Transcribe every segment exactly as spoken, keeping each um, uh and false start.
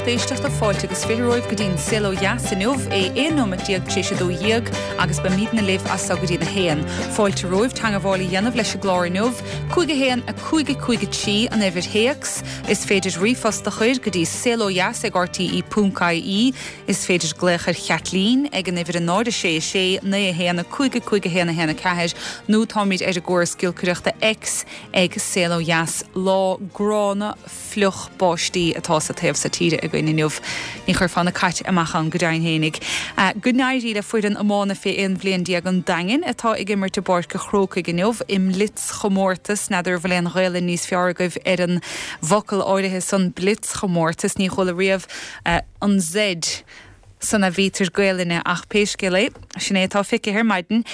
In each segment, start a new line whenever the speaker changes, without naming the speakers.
lucht éisteachta fáilte agus fiche romhaibh go dtí an Saol Ó Dheas inniu é aon nóiméad déag tar éis a dó dhéag agus beimidne libh as so go dtí a haon. Fáilte romhaibh teagmháil a dhéanamh leis an gclár inniu, cúig a haon a cúig a cúig a trí an uimhir théacs, is féidir ríomhphost a chur go dtí saolodheas ag RTE ponc IE, is féidir glaoch ar Chaitlín ag an uimhir a náid a sé a sé naoi a haon a cúig a cúig a haon a haon a ceathair nó táimid ar an gcóras giolcaireachta X ag Saol Ó Dheas lá gránna fliuch báistí atá sa taobh seo tíre againn inniu. Ní chuirfeá na cait amach ann go deimhin fhéinig. Go n-éirí le foireann iomána fé aon bhliain déag an Daingin atá ag imirt i bPáirc an Chrócaigh inniu i mblitzchomórtas n'fheadar an bhfuil aon Ghaelainn níos fearr agaibh ar an bhfocal áirithe san blitzchomórtas ní chuala riamh an Z san a bhítear Gaelainne ach pé scéal é sin é atá feicthe ar maidin.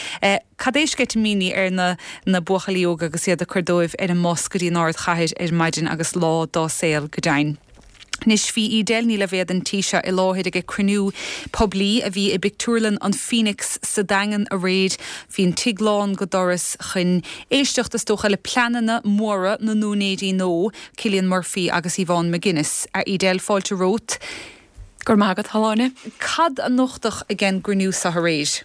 Cad é sceitimíní ar na na buachaillí óga agus iad ag cur dóibh ar an mbus go dtí an ardchathair ar maidin agus lá dá saol go deimhin. Anois bhí Edel Ní Loibhéad an tí seo i láthair ag cruinniú poiblí a bhí i bpictiúrlann an Phoenix sa Daingean aréir bhí an tigh lán go doras chun éisteacht is dócha le pleananna móra na n-úinéirí nua Cillian Murphy agus Yvonne McGuinness a Edel fáilte romhat.
Gur mágad haláine.
Cad a nochtadh ag an gcruinniú seo aréir?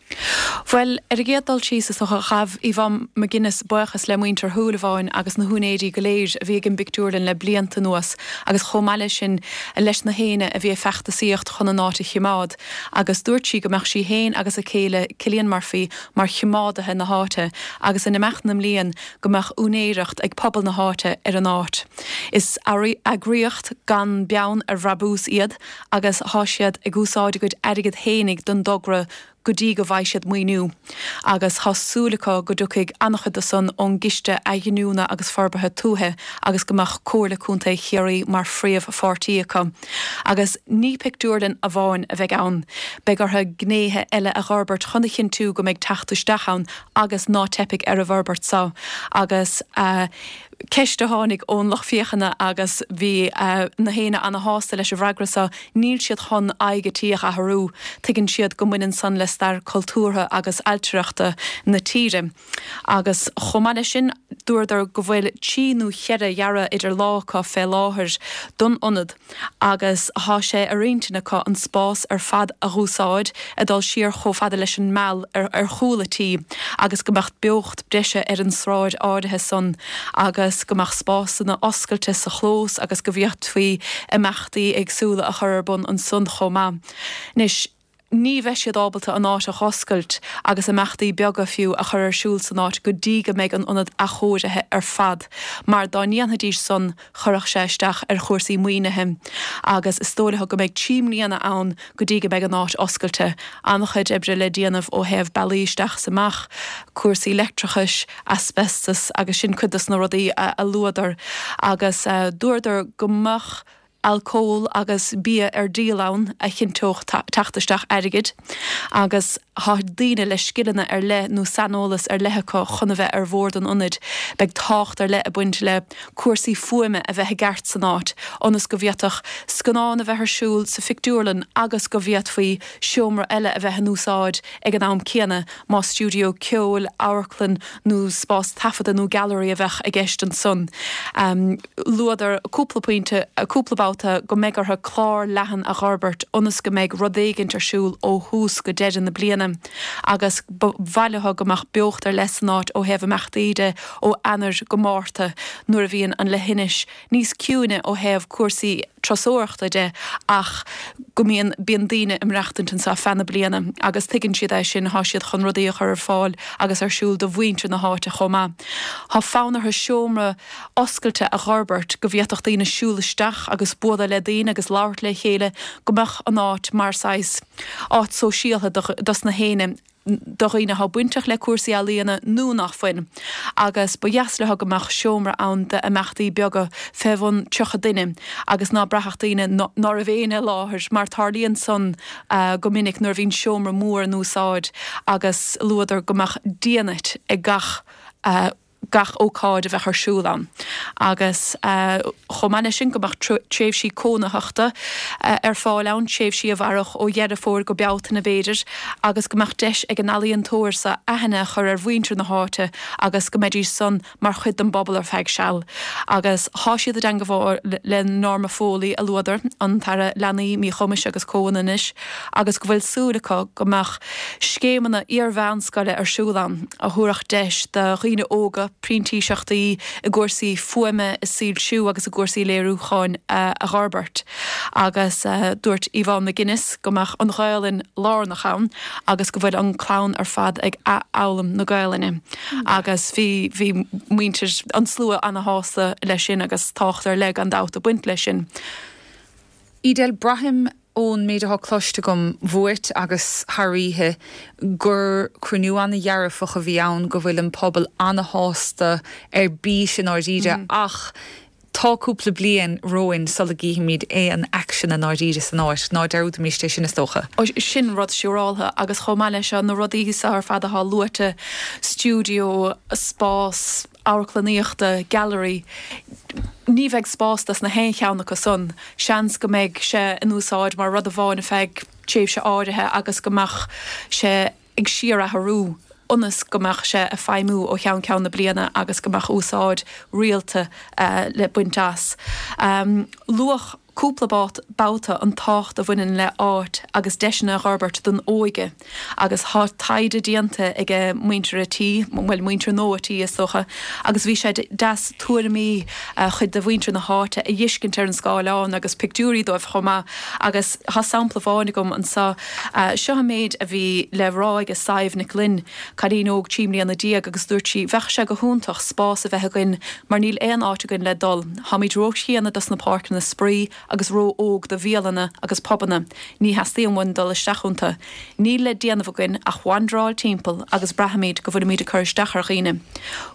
Well ar an gcéad dul síos is dócha ghabh Yvonne McGuinness buíochas le muintir Shúilleabháin agus na húinéirí go léir a bhí ag an bpictiúrlann le blianta anuas agus chomh maith leis sin leis na héinne a bhí ag feachtasaíocht chun an áit a choimeád, agus dúirt sí go mbeadh sí féin agus a céile Cillian Murphy mar choimeádaithe na háite agus in imeacht na mblian go mbeadh úinéireacht ag pobal na háite ar an áit. Is eagraíocht gan beann ar bhrabús iad agus thá siad ag úsáid a gcuid airgead fhéinig don dtogra go dtí go bhfaighidh siad maoiniú, agus thá súil acu go dtiocfaidh an-chuid de san ón gCiste Athghiniúna agus Forbartha Tuaithe agus go mbeadh Comhairle Contae Chiarraí mar phríomhpháirtí acu. Agus ní pictiúrlann amháin a bheidh ann, beidh orthu gnéithe eile a dh'fhorbairt chun a chinntiú go mbeidh teacht isteach ann agus ná teipfidh ar an bhforbairt seo. Agus ceist a tháinig ón lucht féachana agus bhí na héinne ana-shásta leis an bhfreagra seo, níl siad chun aghaidh an tí a athrú, tuigeann siad go mbaineann san le stair cultúrtha agus ailtireachta na tíre. Agus chomh maith leis sin, dúradar go bhfuil trí nó cheithre dhearadh idir lámha acu fé láthair don ionad agus thá sé ar intinn acu an spás ar fad a dh'úsáid ag dul siar chomh fada leis an Meal ar ar chúl an tí agus go mbeadh beocht breise ar an sráid áirithe san agus go mbeadh spásanna oscailte sa chlós agus go bhféadfaí imeachtaí éagsúla a chur ar bun ansan chomh maith. Anois ní bheidh siad ábalta an áit a dh'oscailt agus imeachtaí beaga fiú a chur ar siúl san áit go dtí go mbeidh an ionad athchóirithe ar fad, mar dá ndéanfaidís san chuirfeadh sé isteach ar chúrsaí maoinithe agus is dóigh leo go mbeidh trí mbliana ann go dtí go mbeidh an áit oscailte. An-chuid oibre le déanamh ó thaobh bealaí isteach is amach, cúrsaí leictreachais, asbestos agus sin cuid dos na rudaí a luadar agus dúradar go mbeadh alcól agus bia ar díol ann a chinnteodh teacht isteach airgid agus thá daoine le scileanna ar leith nó saineolas ar leith acu chun a bheith ar bhord an ionaid. Beidh tábhacht ar leith ag baint le cúrsaí fuaime a bheith i gceart san áit ionas go bhféadfadh scannán a bheith ar siúl sa phictiúrlann agus go bhféadfaí seomra eile a bheith in úsáid ag an am céanna más stiúideo ceoil, amharclann nó spás taifeadta nó gailearaí a bheadh i gceist ansan. Luadar cúpla pointe, cúpla babhta go mbeidh orthu clár leathan a dh'fhorbairt ionas go mbeidh rud éigint ar siúl ó thús go deireadh na bliana agus ba mhaith leo go mbeadh beocht ar leith san áit ó thaobh imeachtaí de ó Eanáir go Márta nuair a bhíonn an leithinis níos ciúine ó thaobh cúrsaí turasóireachta de ach go mbíonn bíonn daoine ag maireachtaint anseo feadh na bliana agus tuigeann siad é sin, thá siad chun rudaí a chur ar fáil agus ar siúl do mhuintir na háite chomh maith. Thá fonn orthu seomra oscailte a dh'fhorbairt go bhféadfadh daoine siúl isteach agus bualadh le daoine agus labhairt le chéile, go mbeadh an áit mar saghas áit sóisialtha dos na héinne, do dhaoine athá bainteach le cúrsaí ealaíona nó nach fuil. Agus ba dheas leo go mbeadh seomra ann d'imeachtaí beaga fé bhun tríocha duine agus ná braithfeadh daoine ná raibh éinne i láthair mar tarlaíonn san go minic nuair a bhíonn seomra mór in úsáid agus luadar go mbeadh díonait ag gach gach ócáid a bheadh ar siúl ann. Agus chomh maith leis sin go mbeadh tréimhsí cónaitheachta ar fáil ann, tréimhsí a mhairfeadh ó Dheireadh Fómhair go Bealtaine b'fhéidir, agus go mbeadh deis ag an ealaíontóir seo aithne a chur ar mhuintir na háite agus go mbeidís san mar chuid den bpobal ar feadh seal. Agus thá siad i dteangmháil le Norma Foley, a luadar, an tAire Leanaí, Míchumais agus Comhionannais, agus go bhfuil súil acu go mbeadh scéimeanna iar-mheánscoile ar siúl ann a thabharfadh deis do dhaoine óga printíseachtaí i gcúrsaí fuaime, i soilsiú agus i gcúrsaí léiriúcháin a fhorbairt. Agus dúirt Yvonne McGuinness go mbeadh an Ghaelainn lárnach ann agus go bhfuil an clann ar fad ag athfhoghlaim na Gaelainne. Agus bhí bhí muintir an slua ana-shásta leis sin agus tábhacht ar leith gan dabht ag baint leis sin.
Edel, braithim ón méid atá cloiste agam uait agus thar oíche gur cruinniú ana-dhearfach a bhí ann, go bhfuil an pobal ana-shásta ar bís i ndáiríre ach tá cúpla bliain romhainn sula gcífimid aon aicsean i ndáiríre san áit, ná dearúdaimis é sin is dócha.
Sin rud siúráltha agus chomh maith leis seo na rudaí seo ar fad atá luaite, stiúideo, spás amharclannaíochta, gallery, ní bheidh spás dos na haon cheann acu san. Seans go mbeidh sé in úsáid mar rud amháin ar feadh tréimhse áirithe agus go mbeadh sé ag síorathrú ionas go mbeadh sé ag feidhmiú ó cheann ceann na bliana agus go mbeadh úsáid rialta le baint as. Luadh cúpla babhta an tábhacht a bhaineann le áit agus deiseanna a fhorbairt don óige agus thá taighde déanta ag muintir a' tí, bhuel muintir nua tí is dócha, agus bhí sé deas tuairimí chuid de mhuintir na háite a fheiscint ar an scáileán agus pictiúirí dóibh chomh maith agus thá sampla amháin agam anseo. Seo an méid a bhí le rá ag Sadhbh Nic Fhloinn, cailín óg trí mbliana déag agus dúirt sí, Bheadh sé go hiontach spás a bheith againn mar níl aon áit againn le dul. Táimid róchríonna dos na páirceanna spraoi agus ró-óg do bhialanna agus pubanna. Ní theastaíonn uainn dul isteach iontu. Níl le déanamh againn ach wandráil timpeall agus braithimid go bhfuilimid ag cur isteach ar dhaoine.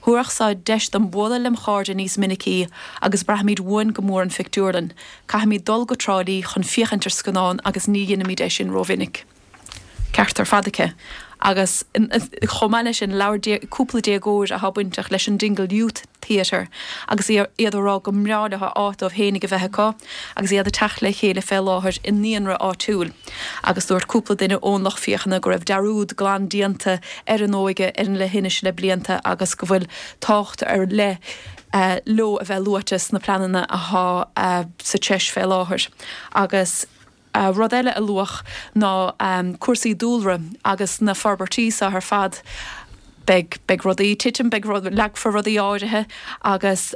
Thabharfadh seo deis dom bualadh lem chairde níos minicí agus braithimid uainn go mór an phictiúrlann. Caithfimid dul go Trá Lí chun féachaint ar scannán agus ní dheinimid é sin rómhinic. Ceart ar fad aici. Agus chomh maith leis sin, labhair cúpla déagóir atá bainteach leis an Dingle Youth Theatre agus iad ag rá go mbreá leo áit dóibh fhéinig a bheith acu agus iad ag teacht le chéile fé láthair i naíonra áitiúil. Agus dúirt cúpla duine ón lucht féachana go raibh dearúd glan déanta ar an óige ar an leithinis le blianta agus go bhfuil tábhacht ar leith leo a bheith luaite sna pleananna atá sa treis fé láthair. Agus. Rud eile a luadh ná cúrsaí dúlra agus na forbairtí seo ar fad. Beidh, beidh rudaí ag titim, beidh, leagfar rudaí áirithe agus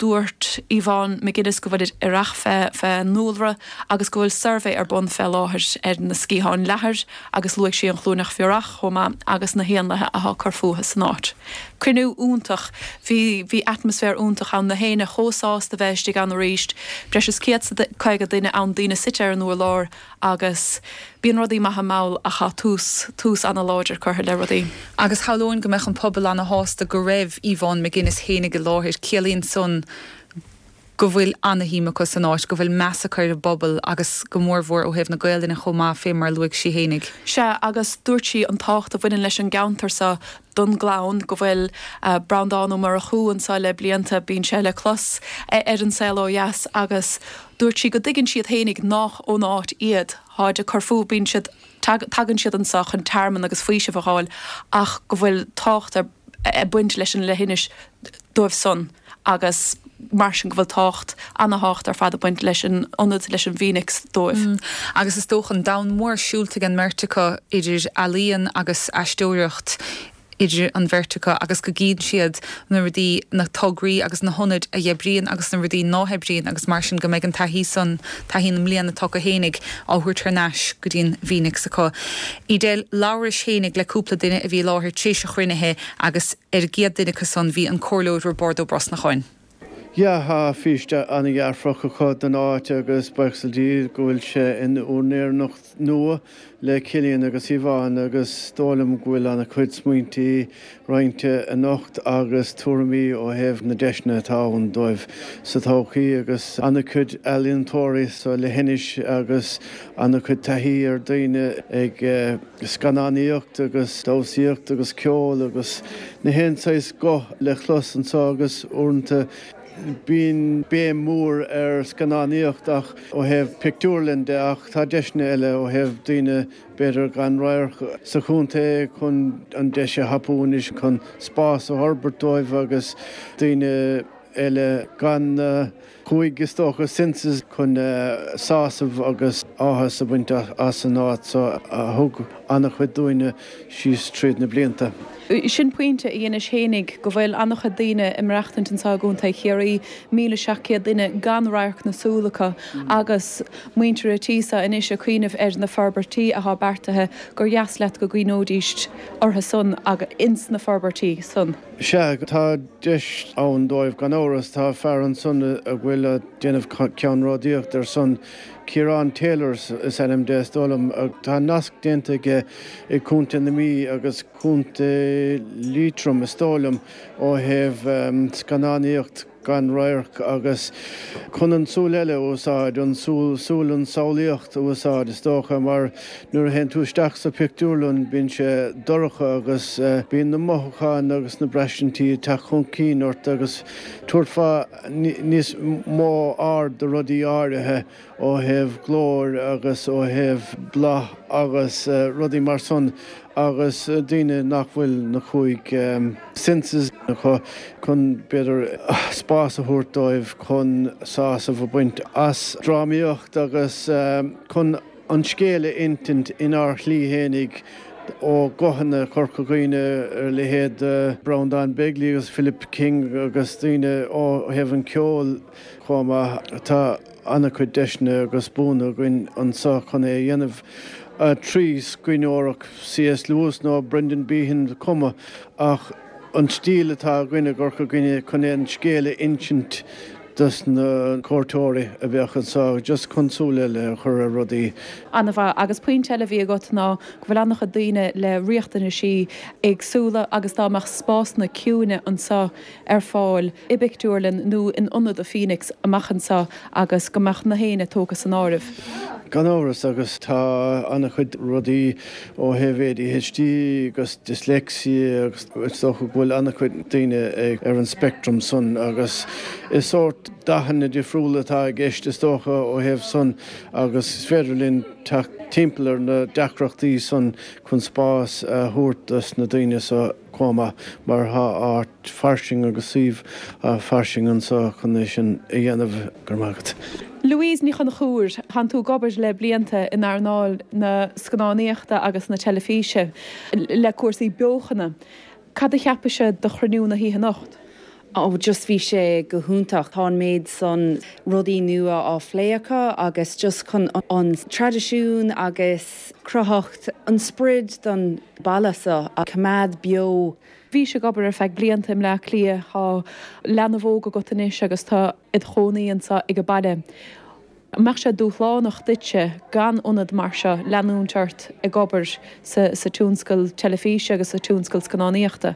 dúirt Yvonne McGuinness go bhfuilid aireach fé, fé ndúlra agus go bhfuil suirbhé ar bun fé láthair ar na sciatháin leathair agus luaigh sí an chluaineach bhiorach chomh maith agus na héanlaithe athá ag cur fúthu san áit. Cruinniú iontach, bhí, bhí atmaisféar iontach ann, na héinne chomh sásta bheith istigh ann arís, breis is céad 's caoga duine ann, daoine suite ar an urlár agus bíonn rudaí maithe mall ach tá tús, tús ana-láidir curtha le rudaí.
Agus shamhlóinn go mbeadh an pobal ana-shásta go raibh Yvonne McGuinness fhéinig i láthair, ciallaíonn san go bhfuil ana-shuim acu san áit, go bhfuil meas acu ar an bpobal agus go mórmhór ó thaobh na Gaelainne chomh maith, fé mar a luaigh sí fhéinig.
Sea, agus dúirt sí an tábhacht a bhaineann leis an gceantar seo don gclann, go bhfuil Breandán Ó Murchú anseo le blianta, bíonn sé le clos ar An Saol Ó Dheas agus dúirt sí go dtuigeann siad fhéinig nách ón áit iad, tháid ag cur fúthu, bíonn siad, tagann siad anseo chun tearmann agus faoiseamh a fháil ach go bhfuil tábhacht ag baint leis an leithinis dóibh san agus mar sin go bhfuil tábhacht, ana-thábhacht ar fad ag baint leis an ionad, leis an bhPhoenix dóibh.
Agus is dócha an domhan mór siúlta ag an mbeirt acu idir ealaíon agus aisteoireacht idir an bheirt acu agus go gcíonn siad na rudaí, na tograí agus na hionaid a oibríonn agus na rudaí ná hoibríonn agus mar sin go mbeidh an taithí san, taithí na mbliana atá acu fhéinig á thabhairt thar n-ais go dtí an bhPhoenix acu. Edel, labhrais fhéinig le cúpla duine a bhí i láthair tar éis an chruinnithe agus ar an gcéad duine acu san bhí an Comhairleoir Roibeárd Ó Brosnacháin.
Yeah, tá fís an-dhearfach acu don áit agus buíochas le Dia go bhfuil sé in úinéireacht nua le Cillian agus Yvonne agus is dóigh liom go bhfuil an-chuid smaointe roinnte anocht agus tuairimí ó thaobh na deiseanna atá ann dóibh sa todhchaí agus an-chuid ealaíontóirí sa leithinis agus an-chuid taithí ar daoine ag scannánaíocht agus damhsaíocht agus ceol agus na haon saghas guth le clos anseo agus uaireanta Bíonn béim mór ar scannánaíocht ach ó thaobh pictiúrlann de ach tá deiseanna eile ó thaobh daoine b'fhéidir gan radharc sa chontae chun an deis a thapú anois chun spás a fhorbairt dóibh agus daoine eile gan na cúig is dócha senses chun sásamh agus áthas a bhaint as an áit so a thug an-chuid dúinne síos tríd na blianta.
Sin pointe a dheinis fhéinig, go bhfuil an-chuid daoine ag maireachtaint anseo i gContae Chiarraí, míle seacht gcéad duine gan radharc na súl acu agus muintir an tí seo anois ag cuimhneamh ar na forbairtí atá beartaithe gur dheas leat go gcuimhneoidís orthu san agus ins na forbairtí san.
Sea, tá deis ann dóibh gan amhras. Tá fear ansan a bhfuil ag déanamh ceannródaíocht ar son Ciarán Taylor is ainm de is dóigh liom. Tá nasc déanta aige i gContae na Mí agus Contae Liatroim is dóigh liom ó thaobh scannánaíocht gan radharc agus chun an tsúil eile a úsáid, an súil, súil an samhlaíocht a úsáid is dócha mar nuair a théann tú isteach sa phictiúrlann bíonn sé dorcha agus bíonn na mothúcháin agus na braistintí ag teacht chun cinn ort agus tabhairt fá níos mó aird do rudaí áirithe ó thaobh glóir agus ó thaobh bláth agus rudaí mar san agus daoine nach bhfuil na cúig senses acu chun b'fhéidir spás a thabhairt dóibh chun sásamh a bhaint as drámaíocht agus chun an scéal a insint inár shlí fhéinig ó ghuthanna Chorca Dhuibhne ar leithéid Breandán Begley agus Philip King agus daoine ó thaobh an ceoil chomh maith. Tá an-chuid deiseanna agus buanna againn anseo chun é a dhéanamh trí scríbhneoireacht C S. Lewis nó Brendan Behan cuma ach an stíl atá againn i gCorca Dhuibhne chun an scéal a insint dos na cuairteoirí a bheadh anseo just chun súil eile a chur ar rudaí.
An-mhaith. Agus pointe eile a bhí agat ná go bhfuil an-chuid daoine le riachtanaisí éagsúla agus dá mbeadh spásanna ciúine anseo ar fáil i bpictiúrlann nó in ionad an Phoenix amach anseo agus go mbeadh na héinne tógtha san áireamh.
Gan amhras, agus tá an-chuid rudaí ó thaobh A D H D agus dyslexia agus is dócha go bhfuil an-chuid daoine ar an speictream san agus is sórt dathanna difriúla atá i gceist is dócha ó thaobh san agus is féidir linn teacht timpeall ar na deacrachtaí san chun spás a thabhairt dos na daoine so chomh maith mar tá áit fairsing agus suíomh fairsing anseo chun é sin a dhéanamh. Go raibh maith agat.
Louise Ní Chonchúir, Tánn tú ag obair le blianta in earnáil na scannánaíochta agus na teilifíse le cúrsaí beochana. Cad a cheapaise de chruinniú na hoíche anocht?
Oh just bhí sé go hiontach. Tá an méid san rudaí nua á phlé acu agus just chun an traidisiún agus cruthaitheacht an sprid don baile seo a choimeád beo.
Bhís ag obair ar feadh blianta i mBleá Cliath, tá leanbh óg agat anois agus tá id chónaí anseo ag an baile. An mbeadh sé dúshlánach duitse gan ionad mar seo leanúint ort ag obair sa sa tionscal teilifíse agus sa tionscal scannánaíochta?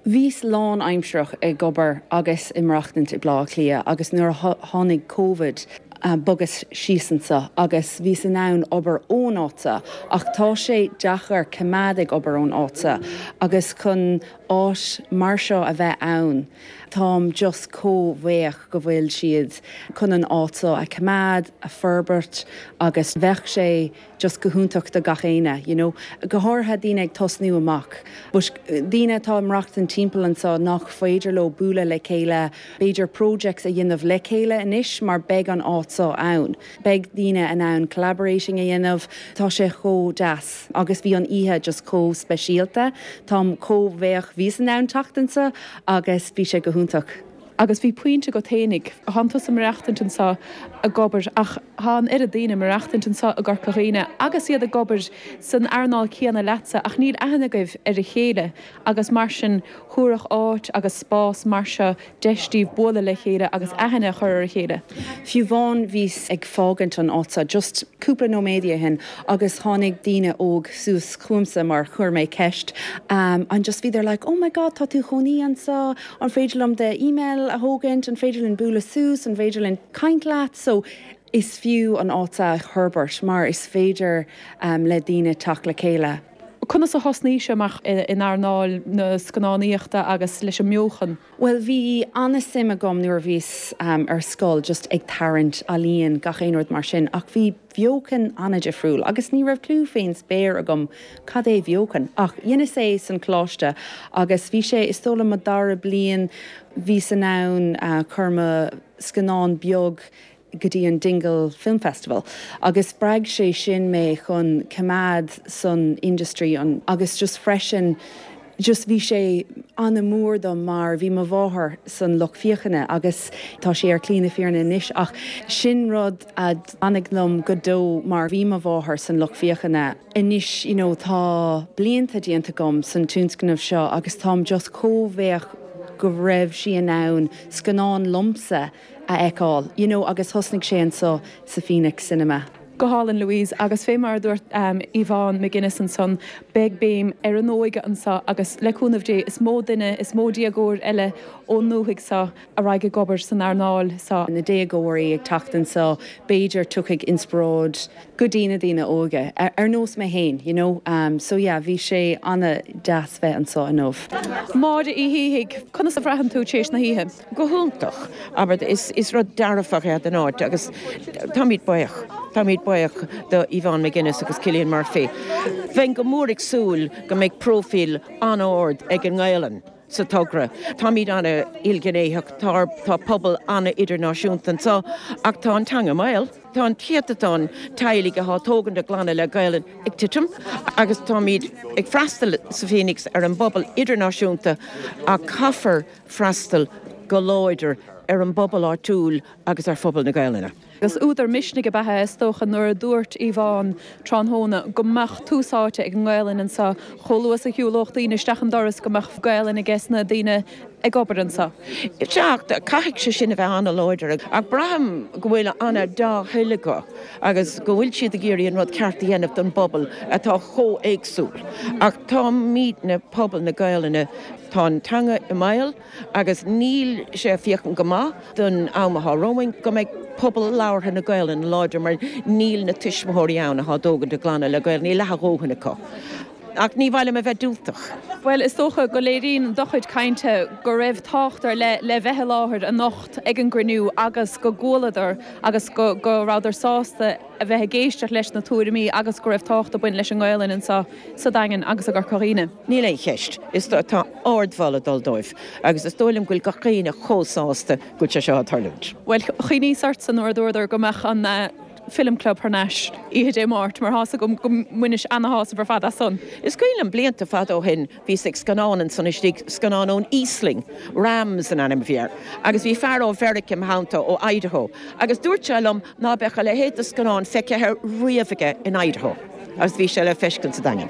Bhíos lánaimsearach ag obair agus ag maireachtaint i Bleá Cliath agus nuair a tháinig Covid bhogas síos anseo agus bhíos in ann obair ón áit seo ach tá sé deacair coimeád ag obair ón áit seo agus chun áit mar seo a bheith ann táim just chomh buíoch go bhfuil siad chun an áit seo a choimeád, a forbairt agus bheadh sé just go hiontach do gach éinne, you know. Go háirithe daoine ag tosnú amach. But daoine atá ag maireachtaint timpeall anseo nach féidir leo bualadh le chéile, b'fhéidir projects a dhéanamh le chéile anois mar beidh an áit seo ann. Beidh daoine in ann collaborating a dhéanamh, tá sé chomh deas agus bhí an oíche just chomh speisialta, Táim chomh buíoch bhíos in ann teacht anseo agus bhí sé go hiontach.
Agus bhí pointe agat fhéinig, Thánn tusa ag maireachtaint anseo ag obair ach tá an oiread daoine ag maireachtaint anseo i gCorca Dhuibhne agus iad ag obair san earnáil céanna leatsa ach níl aithne agaibh ar a chéile agus mar sin thabharfadh áit agus spás mar seo deis daoibh bualadh le chéile agus aithne a chur ar a chéile.
Fiú amháin bhíos ag fágaint an áit seo just cúpla nóiméad ó shin agus tháinig daoine óg suas chugamsa mar chuir mé ceist um, and just bhí they're like, oh my god, tá tú chónaí anseo, an féidir liom do email a thógaint, an féidir linn bualadh suas, an féidir linn caint leat, so is fiú an áit a fhorbairt mar is féidir um, le daoine teacht le chéile.
Conas a thosnaigh sé amach in earnáil na scannánaíochta agus leis an mbeochan?
Well bhí an-suim agam nuair a bhíos um, ar scoil just ag tarraingt ealaíon gach aon rud mar sin ach bhí beochan an-difriúil agus ní raibh clue fén spéir agam cad é beochan ach dheineas é san coláiste agus bhí sé is dóigh liom mo dara bliain bhíos in ann uh, chur mo scannán beag go dtí an Dingle Film Festival. agus spreag sé sin mé chun coimeád san industry an, agus just freisin just bhí sé an-mhór dom mar bhí mo mháthair san lucht féachana agus tá sé ar shlí na fírinne anois ach sin rud a d'fhan liom go deo mar bhí mo mháthair san lucht féachana. Anois you know, tá blianta déanta agam san tionscnamh seo agus táim just chomh buíoch go raibh sí in ann scannán liomsa a fheiceáil, you know, agus thosnaigh sé anseo sa Phoenix Cinema.
Go hálainn Louise agus fé mar dúirt um, Yvonne McGuinness ansan beidh béim ar an óige anseo agus le cúnamh Dé is mó duine is mó déagóir eile ón ndúthaigh seo a raghaidh ag obair san earnáil seo.
Na déagóirí ag teacht anseo b'fhéidir tiocfaidh inspioráid go dtí na daoine óga ar, ar nós mé féin, you know? um, so yeah, bhí sé an-deas bheith anseo inniu.
Máire Uí Shíthigh, conas a bhraitheann tú tar éis na hoíche.
Go hiontach, aber is, is rud dearfach é den áit agus táimid buíoch, Táimid buíoch do Yvonne McGuinness agus Cillian Murphy. Bheinn go mór ag súil go mbeidh profil an-ard ag an nGaelainn. sa togra. Táimid an-ilghnéitheach tá tá pobal an-idirnáisiúnta anseo ach tá an teanga i mbaol. Tá an céatadán teaghlaigh atá ag tógaint a gclanna le Gaelainn ag titim agus táimid ag freastal sa Phoenix ar an bpobal idirnáisiúnta ach caithfear freastal go láidir ar an bpobal áitiúil agus ar phobal na Gaelainne.
Agus údar misnigh ab ea is dócha nuair a dúirt Yvonne tráthnóna go mbeadh tús áite ag an nGaelainn anseo chomh luath is a shiúlódh daoine isteach an doras go mbeadh Gaelainn aige na daoine ag obair anseo.
Teacht caithfidh sé sin a bheith an-láidir ach braithim go bhfuil an-dea-thoil acu agus go bhfuil siad ag iarraidh an rud ceart a dhéanamh don bpobal atá chomh héagsúil. Ach táimidne pobal na Gaelainne tá an teanga i mbaol agus níl sé féachaint go maith don am atá romhainn go mbeidh pobal labhartha na Gaelainne láidir mar níl na tuismitheoirí ann atá ag tógaint a gclanna le Gaeilge, níl leath a dhóthain acu. Ach ní bhile a bheith diúltach.
Well is dócha go léiríonn do chuid cainte go raibh tábhacht ar leith le bheith i láthair anocht ag an gcruinniú agus go gcualadar agus go go rabhadar sásta a bheith ag éisteacht leis na tuairimí agus go raibh tábhacht ag baint leis an nGaelainn anseo sa Daingean agus i gCorca Dhuibhne.
Níl aon cheist is tá ardmholadh ag dul dóibh agus is dóigh liom go bhfuil gach éinne chomh sásta go bhfuil sé seo ag tarlúint.
Well chuimhníos ortsa nuair a dúradar go mbeadh an uh, Film Club thar n-ais oíche Dé Máirt mar tá a fhios agam go mbainis an-shásamh ar fad as san.
Is cuimhin liom blianta fada ó shin bhí ag scannán ansan istigh scannán ón Íoslainn, Rams an ainm a bhí air, agus bhí fear ó Mheiriceá im theannta ó Idaho, agus dúirt sé liom ná beadh a leithéid de scannán feicthe riamh aige in Idaho, agus bhí sé le feiscint sa Daingean.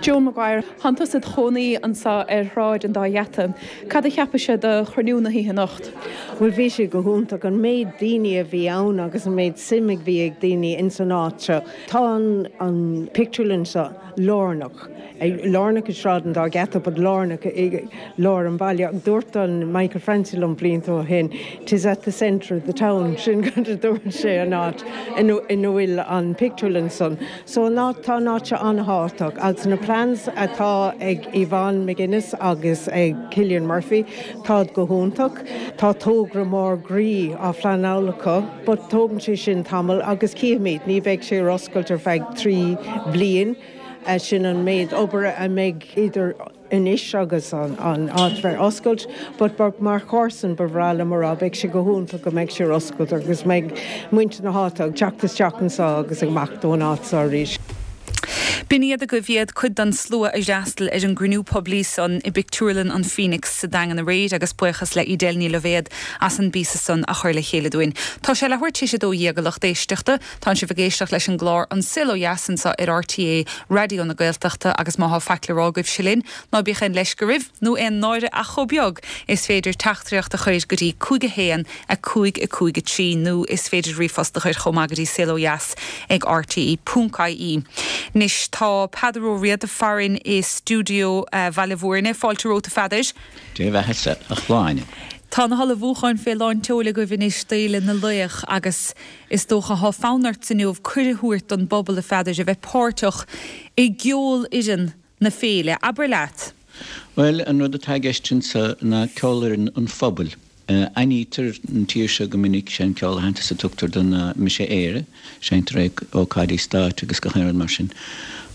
Joan Maguire, Tánn tusa id chónaí anseo ar Shráid an Dá Gheata. Cad a cheapais de chruinniú na hoíche anocht?
Well bhí sé go hiontach an méid daoine a bhí ann agus an méid suim a bhí ag daoine in san áit seo. Tá an, an pictiúrlann seo lárnach. Lárnach i Sráid an Dá Gheata, but lárnach i lár an bhaile. Dúirt an Michael Francie liom blianta ó shin, Tis at the centre of the town sin go dúirt sé an áit ina bhfuil an pictiúrlann san. So an áit tá an áit seo an-tábhachtach agus na plans atá ag Yvonne McGuinness agus ag Cillian Murphy tá go hiontach, Tá togra mór groí á phleanáil acu, but tógann sé sin tamall agus cífimid, ní bheidh sé ar oscailt ar feadh trí bliain. sin an méid obair a mbeidh idir anois agus an, an áit bheith oscailt, but mar chomharsan ba bhreá liom a rá beidh sé go hiontach go mbeidh sé ar oscailt agus mbeidh muintir na háite ag teacht isteach anseo agus amach ón áit seo arís.
B'in iad agaibh iad, cuid den slua a d'fhreastail ar an gcruinniú poiblí san i bpictiúrlann an Phoenix sa Daingean aréir agus buíochas le Edel Ní Loibhéad as an bpíosa san a chur le chéile dúinn. Tá sé leathuair tar éis a dó dhéag a lucht éisteachta. Tánn sibh ag éisteacht leis an gclár An Saol Ó Dheas anseo ar RTÉ Raidió na Gaeltachta agus má thá faic le rá agaibhse linn, ná bíodh aon leisce oraibh nó aon náire ach chomh beag, is féidir teachtaireacht a chur go dtí cúig a haon a cúig a cúig a trí nó is féidir ríomhphost a chur chomh maith go dtí saolodheas ag rte ponc ie. Anois tá Peadar Ó Riada farainn i stiúideo Bhaile Mhúirne. Fáilte romhat a Pheadair.
Dé bheathasa a Shláine.
Tá na hullmhúcháin fé lán tseoil agaibh anois d'Fhéile na Laoch agus is dócha thá fonn ort inniu cuireadh a thabhairt don bpobal a Pheadair a bheith páirteach i gceolfhoireann na féile. Abair leat.
Bhuel, an rud atá i gceist anseo ná ceolfhoireann an phobail. Aithnítear an tír seo go minic, sé an ceol aitheantais a tugtar do ná Mise Éire, seinntear é ag ócáidí stáit agus gach aon rud mar sin.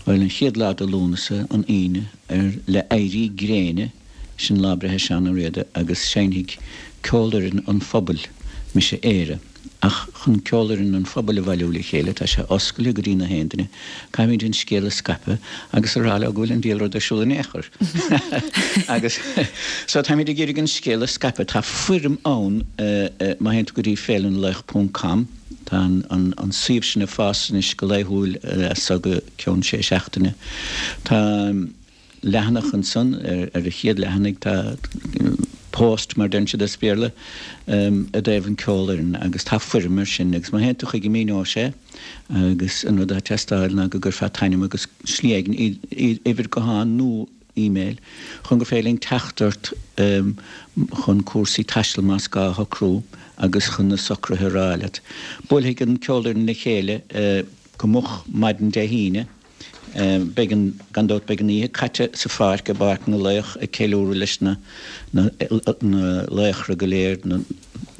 Bhuel, an chéad lá de Lúnasa, an Aoine, ar le éirí gréine, sin lá breithe Seán Ó Riada agus seinnfidh ceolfhoireann an phobail Mise Éire. Ach chun ceolfhoireann an phobail a bhailiú le chéile, tá sé oscailte go dtí na haon duine, caithfimid an scéal a scaipeadh agus a rá leo go bhfuil an diabhal rud ar siúl in aon chor. Agus so táimid ag iarraidh an scéal a scaipeadh. Tá foirm ann má théann tú go dtí féile na laoch ponc com, tá an an suíomh sin ag fás anois go laethúil as so go ceann sé seachtaine. Tá. leathanach ansan, ar an chéad leathanaigh tá post, mar deireann siad as Béarla, i dtaobh an ceolfhoireann agus tá foirm ar sin agus má théann tú chuige míneoidh sé agus an rud atá ag teastáil ná go gcuirfeá t'ainm agus slí éigin, uimhir gutháin nó email, chun gur féidir linn teacht ort chun cúrsaí taistil más gá a shocrú agus chun na socruithe a rá leat. Buailfidh an ceolfhoireann le chéile go moch maidin Dé hAoine. Beidh an, gan dabht, beidh an oíche caite sa pháirc, i bPáirc na Laoch, ag ceiliúradh leis na, na, na laochra go léir, na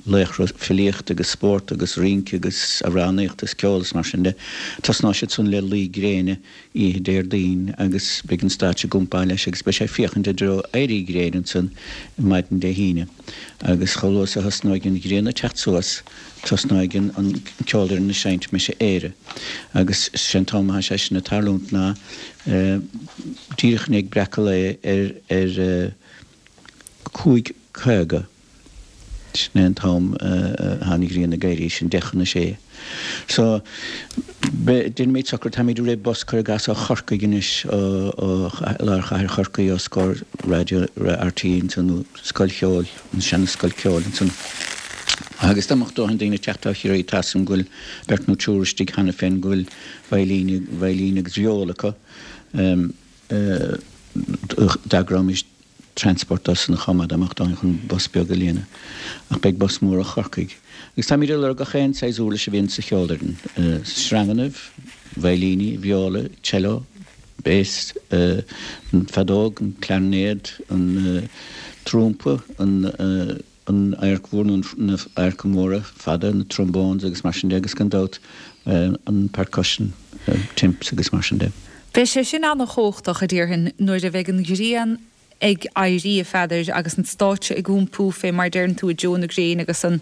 laochra filíochta agus spóirt agus rince agus amhránaíochta is ceol is mar sin de. Tosnóidh siad san le luí gréine oíche Déardaoin agus beidh an stáitse ag iompáil leis agus beidh sé ag féachaint i dtreo éirí gréine ansan maidin Dé hAoine. Agus chomh luath is a thosnóidh an ghrian ag teacht suas, Tosnóidh an ceolfhoireann ag seinnt Mise Éire agus sé an t-am atá sé sin ag tarlúint ná díreach i ndiaidh breacadh lae ar ar cúig caoga. Sin é an t-am atá an ghrian ag éirí, sin deich chun a sé. So déanfaimid socrú, táimid ag rith bus cuir i gcás ó Chorcaigh anois, ó lár chathair Chorcaí, os comhair raidió RTÉ ansan nó Scoil Cheoil, an seana-scoil ceoil ansan. Agus dá mbeadh dóthain daoine ag teacht ó Chiarraí, tá 'fhios a'm go bhfuil beirt nó triúr istigh cheana féin go bhfuil veidhlín, veidhlín agus vióla acu. D'eagróimis transport dósan chomh maith dá mbeadh dóthain chun bus beag a líonadh. Ach beidh bus mór ó Chorcaigh. Agus táimid ag lorg gach aon saghas uirlis a bhíonn sa cheolfhoireann, sreangannaibh, veidhlíní, vióla, cello, bass, an feadóg, an clarinéad, an trumpa, an. an adharc mhór nó na adharca móra fada, na trombones agus mar sin de agus gan dabht an percussion, timps agus mar sin de.
Beidh sé sin an-chumhachtach, a déarfainn, nuair a bheidh an ghrian ag éirí, a Pheadair, agus an stáitse ag iompú fé mar deireann tú i dtreo na gréine agus an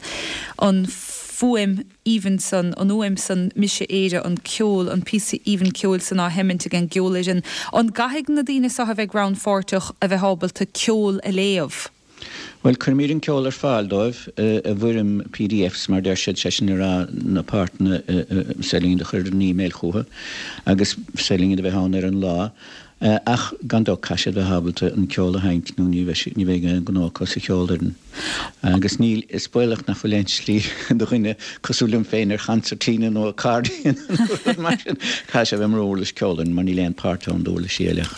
an fuaim aoibhinn san, an fhuaim san, Mise Éire, an ceol, an píosa aoibhinn ceoil san á sheimint ag an gceolfhoireann. An gcaithfidh na daoine seo a bheidh rannpháirteach a bheith ábalta ceol a léamh?
Bhuel, cuirimid an ceol ar fáil dóibh i bhfoirm PDFs, mar deir siad, sé sin le rá na páirteanna is féidir linn iad a chur ar an email chucu agus is féidir linn iad a bheith ann ar an lá. Ach gan dabht caithfidh siad bheith ábalta an ceol a sheinnt nó ní bheidh ní bheidh aon ghnó acu sa cheolfhoireann. Agus níl, is baolach nach bhfuil aon slí do dhuine cosúil liom féin ar choncertina nó accordion nó rud mar sin, caithfidh sé a bheith mar uirlis ceolfhoireann mar níl aon páirt ann d'uirlisí eile ach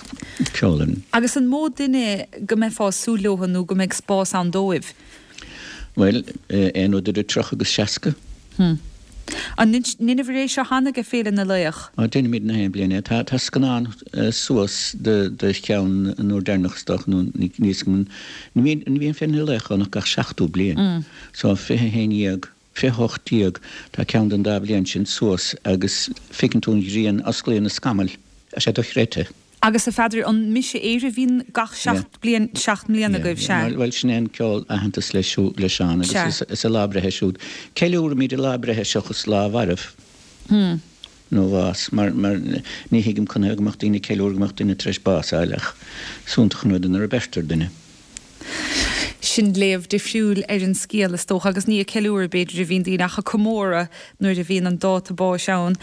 ceolfhoireann.
Agus an mó duine go mbeifeá ag súil leo nó go mbeidh spás ann dóibh?
Bhuel, aon rud idir tríocha agus seasca.
Hm. An ndeineabhair é seo cheana ag Féile na Laoch?
Á, deinimid na haon bliain é. Tá, tá scannán suas de, de cheann an uair deireanach is dócha nó ní, ní, ní bhíonn, ní bhíonn Féile na Laoch ann ach gach seachtó bliain. So fiche a haon dhéag, fiche hocht déag, tá ceann den dá bhliain sin suas agus feiceann tú an ghrian, osclaíonn na scamaill. Tá sé dochreidte.
Agus a Pheadair, an Mise Éire a bhíonn gach seacht bliain, seacht mbliana agaibh, sea?
Bhuel, sin é an ceol aitheantas le le Seán agus is a lá breithe siúd. Ceiliúraimid a lá breithe seachas lá a mhairbh.
Hmm.
nó bhás mar mar ní thuigim conas go mbeadh daoine ag ceiliúradh go mbeadh duine tar éis bás a fháil ach is iontach an rud é nuair a beirtear duine.
Sin léamh difriúil ar an scéal is dócha agus ní ag ceiliúradh b'fhéidir a bhíonn daoine ach ag comóradh nuair a bhíonn an dáta báis ann.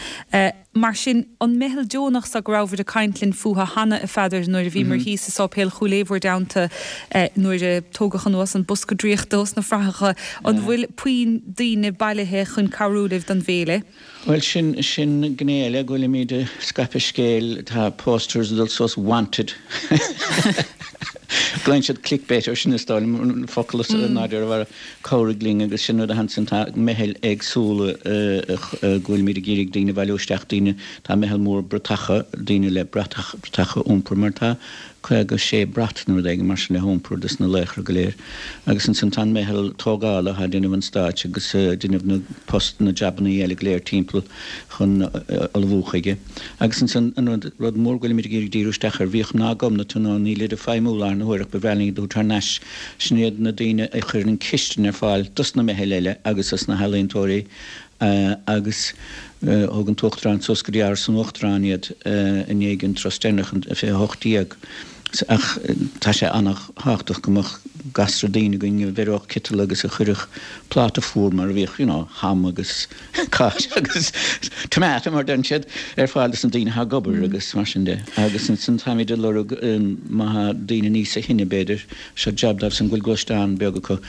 Mar sin, an meitheal deonach so go rabhabhair ag caint linn fúthu cheana, a Pheadair, nuair a bhíomar thíos i Sáipéal Chúil Aodha bhur dteannta nuair a tógadh anuas an bosca draíochta os na fraitheacha, an bhfuil puinn daoine bailithe chun cabhrú libh don bhféile?
Bhuel, sin, sin gné eile go bhfuilimid ag scaipeadh scéil, tá posters ag dul suas 'wanted'. Glaonn siad clickbait air sin is dóigh liom, focal as nádúr a bharra, cabhraigh linn agus sin rud a ansin tá meithil éagsúla go bhfuilimid ag iarraidh daoine a bhailiú isteach, daoine, tá meitheal mór bratacha, daoine le bratach, bratacha a iompar mar tá caoga sé brat nó rud éigin mar sin le hiompar dos na laochra go léir. Agus ansin tá an meitheal tógála atá ag déanamh an stáitse agus ag déanamh na post, na jabannaí eile go léir timpeall chun ullmhú chuige. Agus ansin an rud, rud mór go bhfuilimid ag iarraidh díriú isteach air, bhíodh mná Ghobnatan ann, nílid ag feidhmiú láthair na huaire ach ba bhreá linn iad a thabhairt thar n-ais, sin iad na daoine a chuireann an chistin ar fáil dos na meithil eile agus dos na healaíontóirí agus thug an tUachtarán suas go dtí Áras an Uachtaráin iad i ndiaidh an turas deireanach an fiche a hocht déag. Ach tá sé an-thábhachtach go mbeadh gasra daoine againn a bheireodh citeal agus a chuirfeadh pláta fuar mar a bhíodh, you know, ham agus cáis agus tomato mar a deireann siad, ar fáil dos na daoine atá ag obair agus mar sin de. Agus ansin táimid ag lorg má tá daoine níosa shine b'fhéidir, seo jab dóibh san go bhfuil gluaisteán beag acu,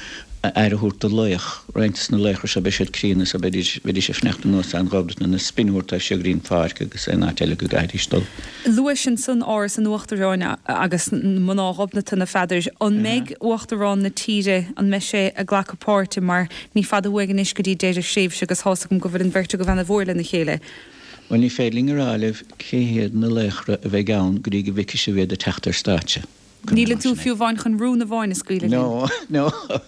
aire a thabhairt do laoch. Roinnt de na laochra seo beidh siad críonna so bheidís bheidís ag fanacht in óstán Ghobnatan na spin a thabhairt dóibh siar go dtí an pháirc agus aon áit eile go gcaithfidís dul.
Luais ansan Áras an Uachtaráin agus mná Ghobnatan, a Pheadair. An mbeidh Uachtarán na tíre, an mbeidh sé ag glacadh páirte mar ní fada uainn anois go dtí deireadh thréimhse agus tá's agam go bhfuil an bheirt agaibh ana mhór lena chéile.
Bhuel ní féidir linn a rá libh cé hiad na laochra a bheidh ann go dtí go bhfeicfidh sibh iad ag teacht ar stáitse.
Níleann tú fiú amháin chun rún amháin a scaoileadh linn.
No, no, no,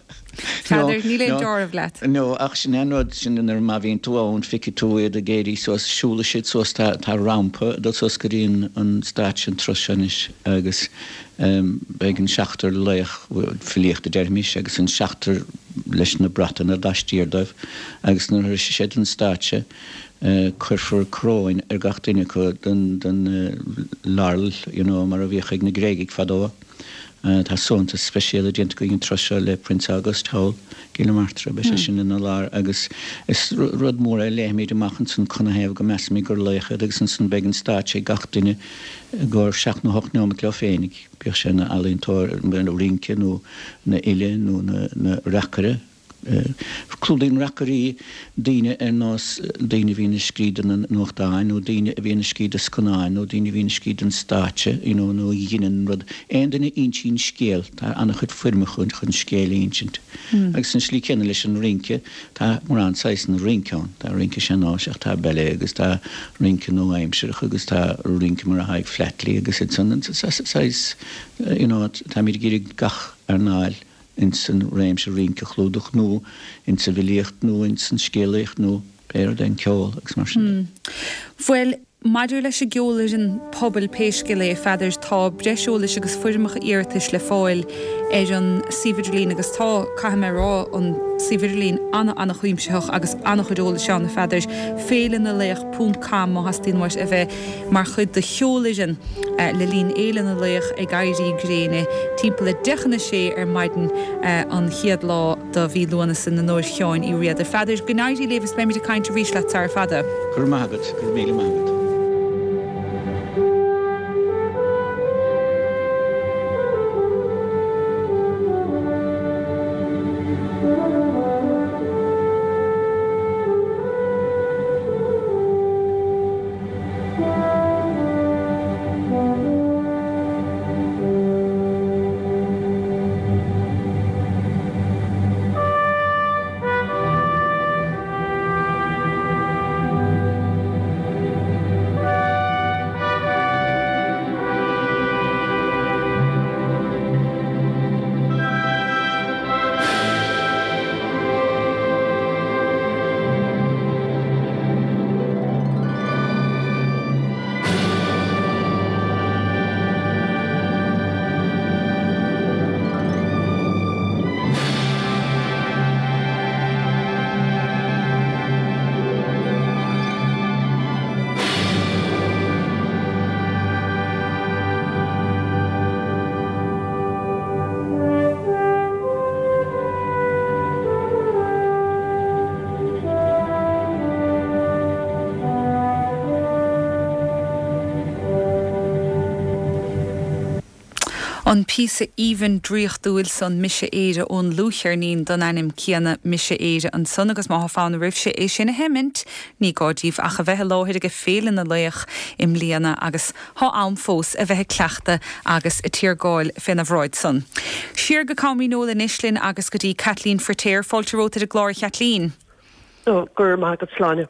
Peadar, níl aon deáramh leat.
No, ach sin é an rud, sin nuair má bhíonn tú ann, feicfidh tú iad ag éirí suas, siúlfaidh siad suas, tá, tá rampa ag dul suas go dtí an, an stáitse, an turas seo anois agus beidh an seachtar laoch filíochta, déarfaimis, agus an seachtar leis na bratanna laistiar dóibh agus nuair a shroisfidh siad an stáitse, Cuirfear coróin ar gach duine acu den laurel, you know, mar a bhíodh ag na Gréagaigh fadó. Tá suaitheantas speisialta déanta againn an turas seo le Prince August thall i gCill na Martra, beidh sé sin ina lár agus is rud mór é, léifimid amach ansan canathaobh go measaimid gur laoch iad agus ansan beidh an stáitse ag gach duine i gcomhair seacht nó hocht neomat leo féinig, bíodh sé ina ealaíontóir, ina rince nó ina fhile nó ina reacaire. Clúdaíonn reacairí daoine ar nós daoine a bhíonn ag scríobh do na nuachtáin nó daoine a bhíonn ag scríobh do scannáin nó daoine a bhíonn ag scríobh don stáitse you know nó a ghineann rud. Aon duine a insíonn scéal, tá an-chuid foirmeacha chun scéal a insint. Agus an slí céanna leis an rince, tá mórán saghsanna rince ann. Tá rince sean-nóis ach tá ballet agus tá rince nua-aimsearach agus tá rince mar atá ag Flatley agus iad san. Saghas you know táimid ag iarraidh gach earnáil ins an réimse rince a chlúdach nó ins an bhfilíocht nó ins an scéalaíocht nó pé rud é, an ceol agus mar sin de.
Bhuel, maidir leis an gceolfhoireann pobail pé scéal é, a Pheadair, tá breis eolais agus foirmeacha iarratais le fáil ar an suíomh idirlín agus tá, caithfidh mé a rá, an suíomh idirlín ana-ana-chuimsitheach agus ana-chuid eolais ann, a Pheadair. Féile na Laoch ponc com má theastaíonn uait a bheith mar chuid de cheolfhoireann le linn Fhéile na Laoch ag éirí gréine timpeall a deich chun a sé ar maidin an chéad lá de mhí Lúnasa in onóir Sheáin Uí Riada. A Pheadair, go n-éirí libh is beimid ag caint arís leat sara fada.
Go raibh maith agat, go raibh míle maith agat.
An píosa aoibhinn draíochtúil san Mise Éire ón dlúthcheirnín den ainm céanna Mise Éire ansan agus má tá fonn oraibhse é sin a sheimint, ní gá daoibh ach a bheith i láthair ag Féile na Laoch i mbliana agus tá am fós a bheith ag cleachtadh agus ag tiargáil féna bhráid san. Siar go Com Dhíneol anois linn agus go dtí Caitlín Firtéar fáilte romhat ar an gclár a Chaitlín.
Ó, go raibh maith agat Sláine.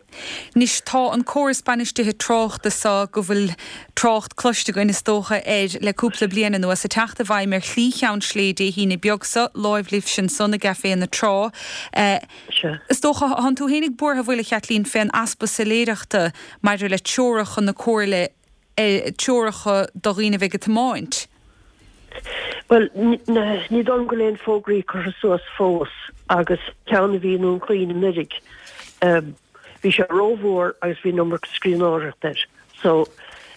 Anois tá an córas bainistithe tráchta so go bhfuil trácht cloiste againn is dócha air le cúpla bliain anuas ag teacht i bhfeidhm ar Shlí Cheann Slé Dé hAoine beag so, láimh libhse ansan i gCaifé na Trá. Is dócha, thánn tú fhéinig buartha an bhfuil a Chaitlín fén easpa soiléireachta maidir le treoracha na Comhairle, treoracha do dhaoine a bheidh ag tiomáint.
Bhuel, ní dóigh liom go bhfuil aon fógraí curtha suas fós agus ceann a bhí i nDún Chaoin anuraidh, bhí sé rómhór agus bhí an iomarca scríbhneoireachta air so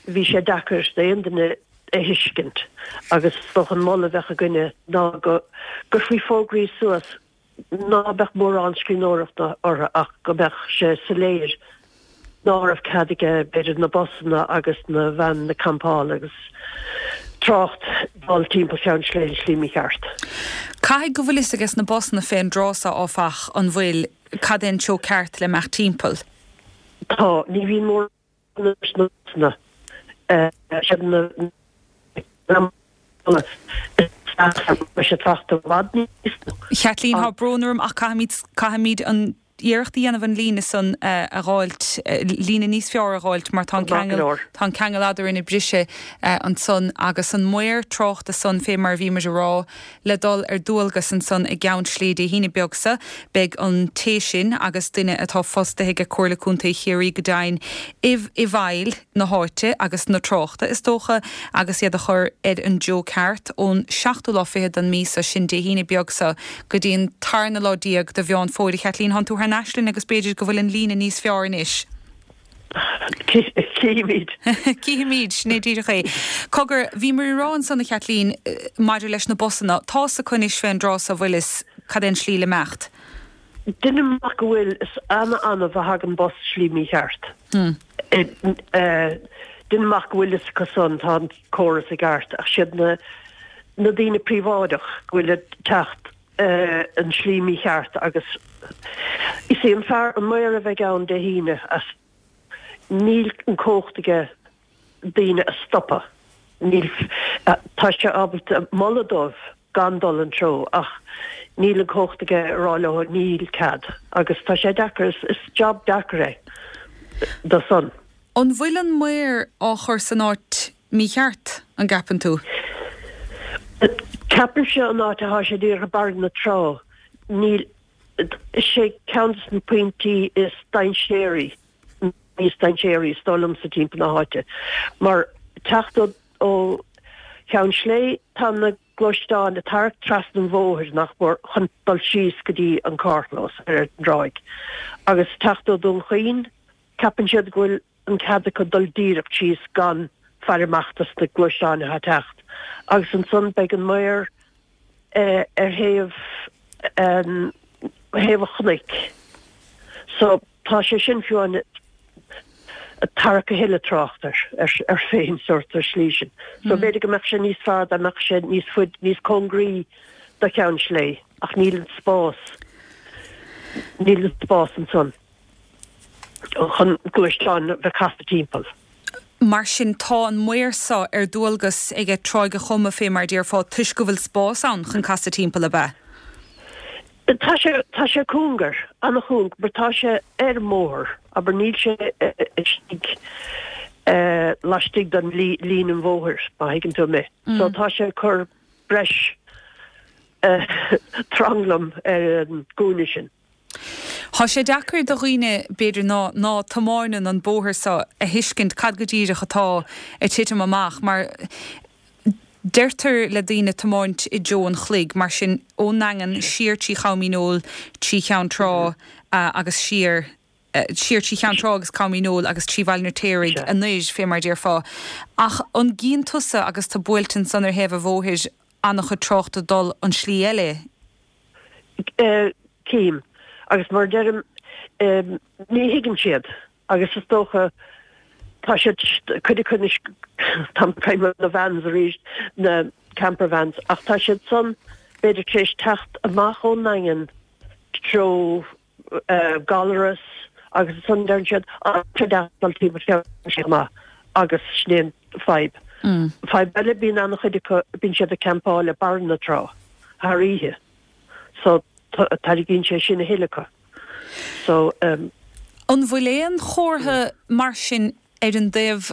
bhí sé deacair d'aon duine a thuiscint agus is dócha an moladh a bheadh againne ná go gcuirfí fógraí suas ná beadh mórán scríbhneoireachta orthu ach go mbeadh sé soiléir ná raibh cead aige b'fhéidir na busanna agus na veaineanna campála agus trácht dul timpeall Cheann Slé an slí mícheart.
Caithfidh go bhfuil fhios ages na busanna fén dtráth so áfach, an bhfuil, cad é an treo ceart le imeacht timpeall?
Tá, ní bhíonn mórán leis na busanna, siad na
Chaitlín, Tá brón orm ach caithfimid, caithfimid an iarracht a dhéanamh an líne san a dh'fháilt, líne níos fearr a dh'fháilt mar tá an ceangal, tá an ceangal eadrainn ag briseadh ansan agus an maor tráchta san fé mar a bhí muid a rá le dul ar dualgas ansan i gCeann Slé Dé hAoine beag so, beidh an té sin agus duine atá fostaithe ag Comhairle Contae Chiarraí go deimhin i i bhfeighil na háite agus na tráchta, is dócha, agus iad a chur ar an dtreo ceart ón seachtú lá fichead den mí so, sin Dé hAoine beag so, go dtí an tarna lá déag de Mheán Fómhair. A Chaitlín, thánn tú thar n-ais linn agus b'fhéidir go bhfuil an líne níos fearr anois.
Cífimid.
Cífimid, sin é díreach é. Cogar, bhíomar ag rá ansan, a Chaitlín, maidir leis na busanna, tá's acu anois fén dtráth so, bhfuil fhios cad é an slí le imeacht?
Deinim amach go bhfuil, is ana-annamh a thagann bus slí mícheart. Deinim amach go bhfuil fhios acu san, tá an córas i gceart, ach siad na na daoine príobháideach go bhfuil ag teacht an slí mícheart agus is é an fear, an maor a bheidh ann Dé hAoine as níl an cumhacht aige daoine a stopadh, níl, tá sé ábalta moladh dóibh gan dul an treo ach níl an cumhacht aige a rá leo níl cead agus tá sé deacair, is job deacair é do san.
An bhfuil an maor á chur san áit mícheart, an gceapann tú?
Ceapaimse an áit atá sé díreach ag barr na trá, níl, is é ceann de na pointí is dainséaraí, níos dainséaraí is dóigh liomsa timpeall na háite mar teacht ó Cheann Slé tá na gluaisteáin ag tarrac trasna an bhóthair nach mór chun dul síos go dtí an carrchlós ar an dtráigh agus teacht ó Dún Chaoin ceapann siad go bhfuil an cead acu dul díreach síos gan faire amach dos na gluaisteáin atá ag teacht agus ansan beidh an maor ar thaobh thaobh an chnoic so tá sé sin fiú amháin ag tarrac a thuilleadh trácht air air féin sórt ar slí sin. So b'fhéidir go mbeadh sé níos fearr dá mbeadh sé níos faide, níos cóngaraí do Cheann Slé ach níl an spás, níl an spás ansan chun gluaisteáin a bheith casadh timpeall.
Mar sin tá an maor so ar dualgas aige Tráigh a' Choma fé mar déarfá toisc go bhfuil spás ann chun casadh timpeall, ab ea?
Tá sé, tá sé cúngar, an-chúng, mar tá sé ar an mbóthar, abair, níl sé istigh laistigh den líne an bhóthair, má thuigeann tú mé. So tá sé ag cur breis tranglam ar an gcúinne sin.
Tá sé deacair do dhaoine, b'fhéidir, ná ná tiomáineann an bóthar so a thuiscint cad go díreach atá ag titim amach mar deirtear le daoine tiomáint i dtreo an chloig, mar sin ón nDaingean siar trí Chom Dhíneol, trí Cheann Trá agus siar, siar trí Cheann Trá agus Com Dhíneol agus trí Bhaile an Fheirtéaraigh anoir, fé mar déarfá. Ach an gcíonn tusa agus tú buailte ansan ar thaobh an bhóthair an-chuid tráchta ag dul an slí eile?
Cím. Agus mar a deirim, ní thuigeann siad. Agus is dócha, tá siad, cuid acu anois, táim ag caint ar na vans arís, na camper vans ach tá siad san b'fhéidir tar éis teacht amach ón nDaingean treo uh, Gallarus agus ansan deireann siad dul timpeall amach agus sin é an fadhb. Mm. Fadhb eile bíonn an-chuid acu bíonn siad ag campáil i barr na trá thar oíche. So tarraingíonn sé sin a thuilleadh acu. So um,
An bhfuil aon chomhartha mar sin ar an dtaobh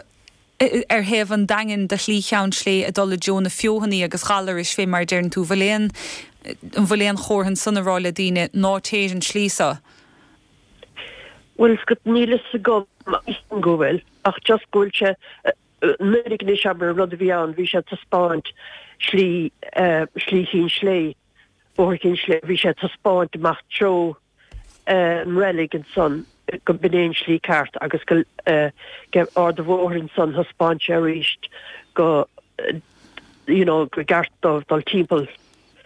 ar thaobh an Daingin de Shlí Cheann Sléibhe ag dul i dtreo na Feothanaí agus Ghallarais fé mar a deireann tú, bhfuil aon an bhfuil aon chomhartha ansan ag rá le daoine ná téir an tslí seo?
Bhuel níl fhios agam go bhfuil ach just go bhfuil sé nuair anois abair an rud a bhí ann bhí sé ag taispeáint slí slí Chinn Sléibhe bóthar Chinn Sléibhe bhí sé ag taispeáint amach treo an reilig ansan go b'in é an slí ceart agus go Ard an Bhóthair ansan thaispeáin sé arís go you know go gceart dóibh dul timpeall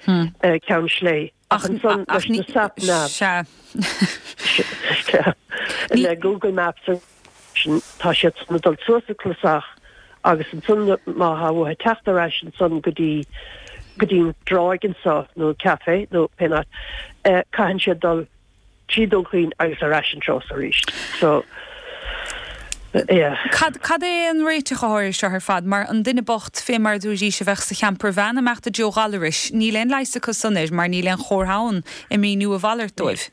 hmm. Ceann Sléibhe. Ach ansan leis na sat nav. Le Google Maps tá siad san dul suas an clasach agus ansan má tá uathu teacht ar ais ansan go dtí go dtí an dráig anso nó café nó pé áit caitheann siad dul trí Dún Chaoin agus ar ais an treo arís. So yeah.
Cad cad é an réiteach air seo ar fad mar an duine bocht fé mar dúirt a bheadh sa champer van ag imeacht i dtreo Ghallarais, níl aon leigheas acu san air mar níl aon chomhartha ann ag míniú a mhalairt dóibh.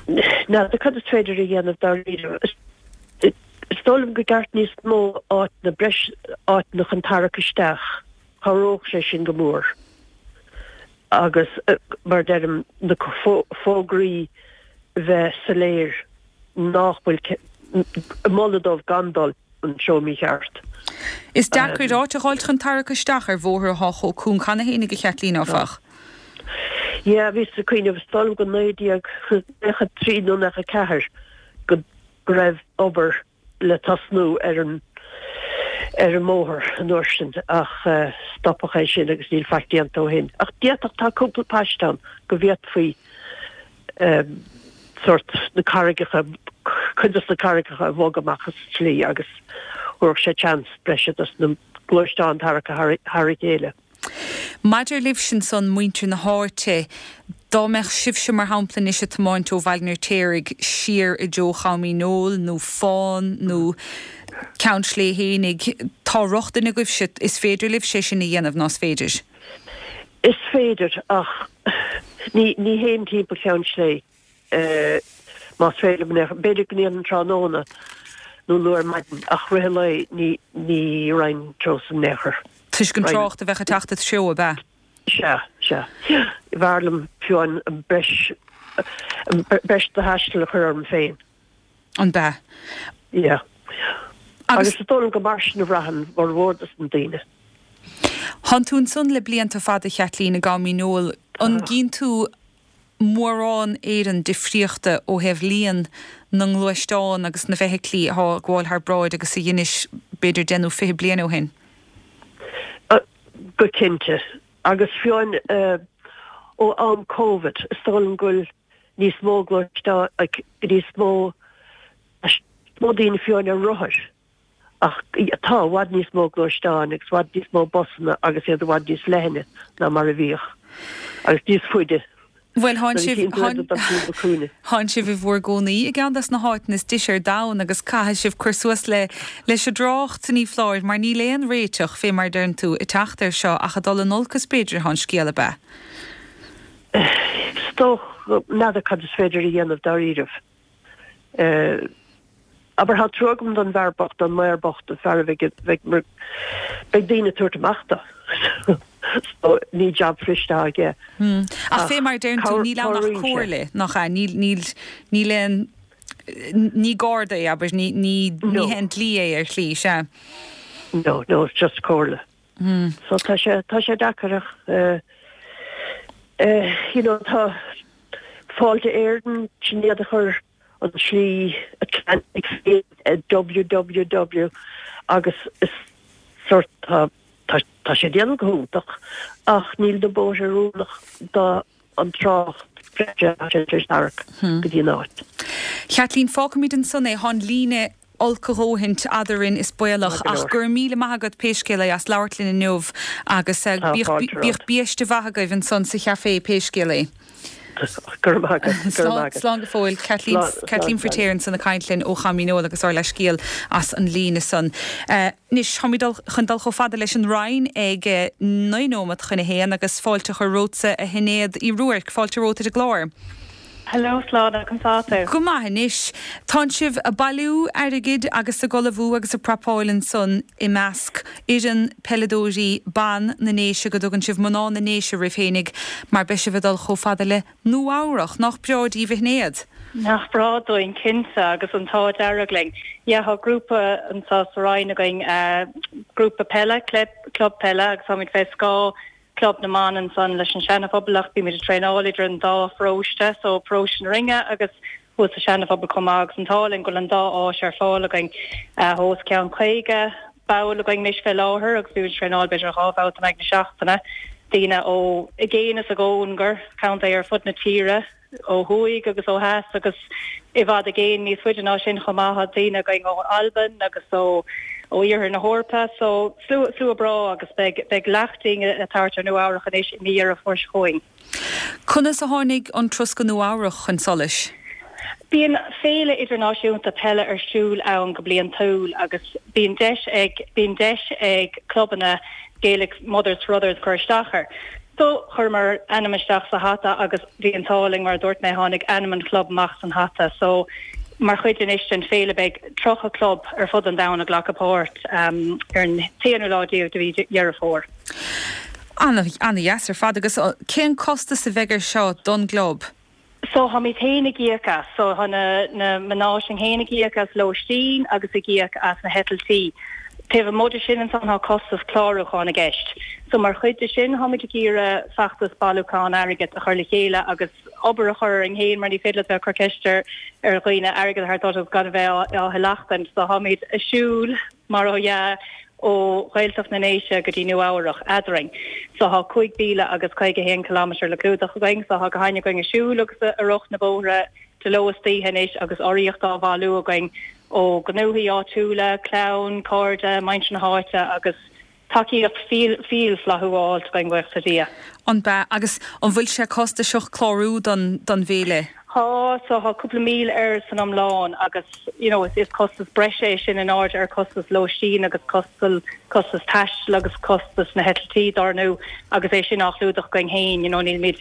N'fheadar cad is féidir a dhéanamh dáiríre. Is dóigh liom go gceart níos mó áiteanna breis áiteanna chun tarrac isteach. Chabhródh sé sin go mór. Agus mar deirim na fógraí bheith soiléir nach bhfuil moladh dóibh gan dul an treo mícheart.
Is deacair áit a fháil chun tarrac isteach ar bhóthar atá chomh cúng cheana féin a Chaitlín áfach.
Yeah, bhíos ag cuimhneamh is dóigh liom go naoi déag nócha trí nó nócha ceathair go go raibh obair le tosnú ar an ar an mbóthar an uair sin ach stopadh é sin agus níl faic déanta ó shin. Ach d'fhéadfadh tá cúpla paiste ann go bhféadfaí sórt na carraigeacha cuid de na carraigeacha a bhogadh amach as an tslí agus thabharfadh sé chance breise dos na gluaisteáin tarrac thar a chéile.
Maidir libhse ansan, muintir na háite, dá mbeadh sibhse mar shampla anois ag tiomáint ó Bhaile an Fheirtéaraigh siar i dtreo Chom Dhíneol nó Fán nó Ceann Sléibhe fhéinig, tá rochtain agaibhse, is féidir libhse é sin a dhéanamh, ná is féidir?
Is féidir ach ní ní théim timpeall Cheann Sléibhe más féidir liom, b'fhéidir go ndéanfainn tráthnóna nó luath ar maidin ach rith an lae ní ní raghainn an treo san in aon chor.
Toisc an trácht a bheadh ag teacht id threo, ab ea?
Sea, sea. B'fhearr liom fiú an breis, breis de thaisteal a chur orm féin.
An b'ea?
Yeah. Agus is dóigh liom go mar sin a bhraitheann formhór dos na daoine.
Thánn tú ansan le blianta fada, a Chaitlín, i gCom Dhíneol. An gcíonn tú mórán Éireann difríochta ó thaobh líon na ngluaisteán agus na bhfeithiclí atá ag gabháil thar bráid agus a dheinis b'fhéidir deich nó fiche bliain ó shin?
Go cinnte. Agus fiú amháin ó am Covid, is dóigh liom go bhfuil níos mó gluaisteán, níos mó, mó daoine fiú amháin ar rothair. Ach tá i bhfad níos mó gluaisteáin agus i bhfad níos mó busanna agus iad i bhfad níos leithne ná mar a bhíodh agus níos faide.
Bhuel, thánn sibh, thánn sibh i bhur gcónaí i gceann des na háiteanna is deise ar domhan agus caithfidh sibh cur suas le, leis an dtrácht, ní foláir, mar níl aon réiteach, fé mar a deireann tú, ag teacht air seo ach ag dul in olcas b'fhéidir atá an scéal, ab ea?
Is dócha, n'fheadar cad is féidir a dhéanamh dáiríribh. Abair, tá trua agam don bhfear bocht, don maor bocht, an fear a bheidh, bheidh mar, beidh daoine ag tabhairt amach dó. So, ní jab fuist atá aige.
Hmm. Ach fé mar a deireann tú, níl ann ach comhairle, nach ea? Níl, níl, níl aon, ní garda é, abair, ní, ní, ní haon dlí é ar shlí, sea.
No, no, it's just comhairle. Hmm. So tá sé, tá sé deacair ach, eh, eh, you know, tá Fáilte Éireann, sin iad a chuir an tslí Atlantic www agus is sort tá tá tá sé déanamh go hiontach ach níl na bóithre oiriúnach do an trácht breise atá sé tar éis tarrac go dtí an áit.
Chaitlín, fágfaimid ansan é, thá an líne olc a dhóthaint eadrainn is baolach ach go raibh míle maith agat pé scéal é as labhairt linn inniu agus bíodh biaiste mhaith agaibh ansan sa chafé pé scéal é.
Go raibh maith agat, go raibh maith agat.
Slán go fóill. Kathleen, Kathleen Firtéar ansan ag caint linn ó Cham Fhíneoil agus ár leithscéal as an líne san. Anois, táimid chun dul chomh fada leis an Rinn ag naoi nóiméad chun a haon agus fáilte a chur romhatsa a Shinéad Uí Ruairc, fáilte romhat ar an gclár.
Hello Slán, conas tá tú?
Go maith anois. Tánn sibh a' bailiú airgid agus ag ullmhú agus ag prapáil ansan i measc fhoireann peileadóirí ban na nDéise go dtugann sibh mná na nDéise oraibh fhéinig mar beidh sibh ag dul chomh fada le Nua Eabhrach. Nach breá díbh a Shinéad?
Nach breá dúinn cinnte agus an t-ádh dearg linn. Yeah tá grúpa anseo sa Rinn againn, grúpa peile, club peile agus táimid fé scáth Club na mBan ansan leis an Seana-Phobal ach bímid ag traenáil idir an dá pharóiste, so paróiste na Rinne agus thuas sa Seana-Phobal chomh maith agus an t-ádh linn go bhfuil an dá áis ar fáil againn. Tá os cionn caoga ball againn anois fé láthair agus bímid ag traenáil b'fhéidir dhá bhabhta in aghaidh na seachtaine, daoine ó i gcéin is i gcóngar, contae ar fud na tíre. ó thuaidh agus ó theas agus i bhfad i gcéin níos faide ná sin chomh maith. Tá daoine againn ó Albain agus ó ó iarthar na hEorpa so slua slua breá agus beidh beidh leacht dínn ag tabhairt ar Nua Eabhrach anois i mí Dheireadh Fómhair seo chugainn.
Conas a tháinig an turas go Nua Eabhrach chun solais?
Bíonn féile idirnáisiúnta peile ar siúl ann go bliantúil agus bíonn deis ag bíonn deis ag clubanna Gaelic Mothers for Others cur isteach air. So, chuireamar ainm isteach sa hata agus bhí an t-ádh linn, mar a dúirt mé, tháinig ainm an chlub amach san hata. So, mar chuid anois den féile beidh tríocha club ar fud an domhain ag glacadh páirt ar an t-aonú lá déag de mhí Dheireadh Fómhair.
Ana-dheas ar fad. Agus cén costas a bheidh air seo don gclub?
So táimid féin ag íoc as. So tá na na mná sin féin ag íoc as lóistín agus ag íoc as na heitiltí. Taobh amuigh de sin ansan tá costas clárúcháin i gceist. So mar chuid de sin táimid ag iarraidh feachtas bailiúcháin airgid a chur le chéile agus obair a chur orainn féin mar ní féidir leat bheith ag cur ceist ar ar dhaoine airgead a thabhairt duit agus gan a bheith á thileachtaint. So táimid ag siúl mar dhea ó Ghaeltacht na nDéise go dtí Nua Eabhrach eadrainn. So thá cúig mhíle agus caoga a haon kilometre le clúdach againn. So thá gach éinne againn ag siúl agus ag rith na bóithre de ló is d'oíche anois agus urraíocht á bhailiú againn ó ghnóthaí áitiúla, clann, cairde, muintir na háite agus tacaíocht fial flaithiúil á fháilt againn, buíochas le Dia.
An bea? Agus an bhfuil sé costasach clárú don don bhféile?
Thá, so thá cúpla míle air san iomlán agus you know is is costas breise é sin in airde ar costas lóistín agus costal costas taistil agus costas na heitiltí dár ndú agus é sin á chlúdach againn féin you know nílimid